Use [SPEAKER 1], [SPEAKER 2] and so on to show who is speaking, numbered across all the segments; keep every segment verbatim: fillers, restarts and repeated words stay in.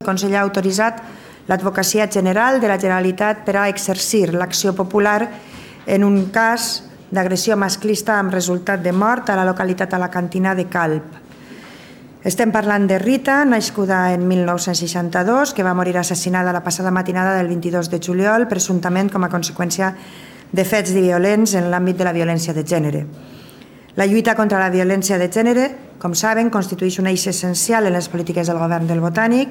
[SPEAKER 1] El Consell ha autoritzat l'Advocacia General de la Generalitat per a exercir l'acció popular en un cas d'agressió masclista amb resultat de mort a la localitat alacantina de Calp. Estem parlant de Rita, nascuda en mil nou-cents seixanta-dos, que va morir assassinada la passada matinada del vint-i-dos de juliol, presumptament com a conseqüència de fets violents en l'àmbit de la violència de gènere. La lluita contra la violència de gènere, com saben, constitueix un eix essencial en les polítiques del govern del Botànic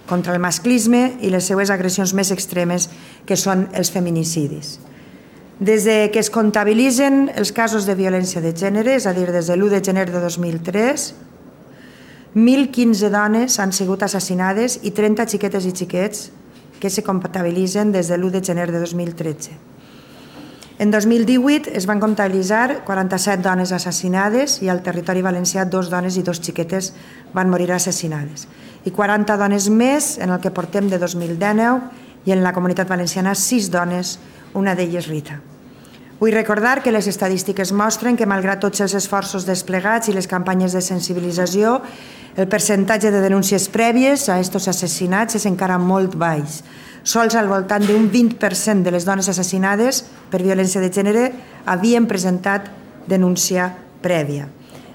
[SPEAKER 1] contra el masclisme i les seues agressions més extremes, que són els feminicidis. Des que es comptabilitzen els casos de violència de gènere, és a dir, des de l'u de gener de dos mil tres, mil quinze dones han sigut assassinades i trenta xiquetes i xiquets que se comptabilitzen des de l'u de gener de dos mil tretze. En dos mil divuit es van comptabilitzar quaranta-set dones assassinades i al territori valencià dos dones i dos xiquetes van morir assassinades. I quaranta dones més en el que portem de dos mil dinou i en la Comunitat Valenciana sis dones, una d'elles Rita. Vull recordar que les estadístiques mostren que, malgrat tots els esforços desplegats i les campanyes de sensibilització, el percentatge de denúncies prèvies a aquests assassinats és encara molt baix. Sols al voltant d'un vint per cent de les dones assassinades per violència de gènere havien presentat denúncia prèvia.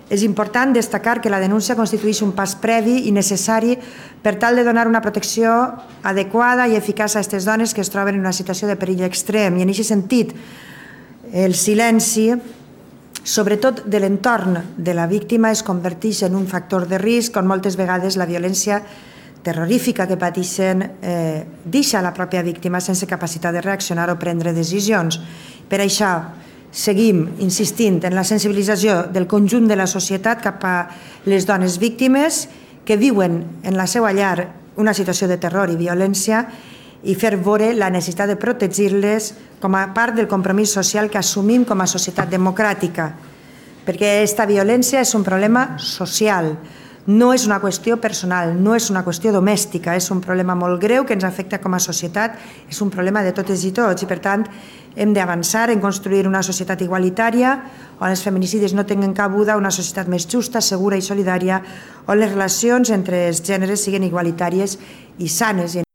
[SPEAKER 1] És important destacar que la denúncia constitueix un pas previ i necessari per tal de donar una protecció adequada i eficaç a aquestes dones que es troben en una situació de perill extrem. I en aquest sentit, el silenci, sobretot de l'entorn de la víctima, es converteix en un factor de risc on moltes vegades la violència terrorífica que pateixen eh, deixa la pròpia víctima sense capacitat de reaccionar o prendre decisions. Per això seguim insistint en la sensibilització del conjunt de la societat cap a les dones víctimes que viuen en la seva llar una situació de terror i violència i fer veure la necessitat de protegir-les com a part del compromís social que assumim com a societat democràtica, perquè aquesta violència és un problema social. No és una qüestió personal, no és una qüestió domèstica, és un problema molt greu que ens afecta com a societat, és un problema de totes i tots i per tant hem d'avançar en construir una societat igualitària on els feminicidis no tinguin cabuda, una societat més justa, segura i solidària, on les relacions entre els gèneres siguin igualitàries i sanes.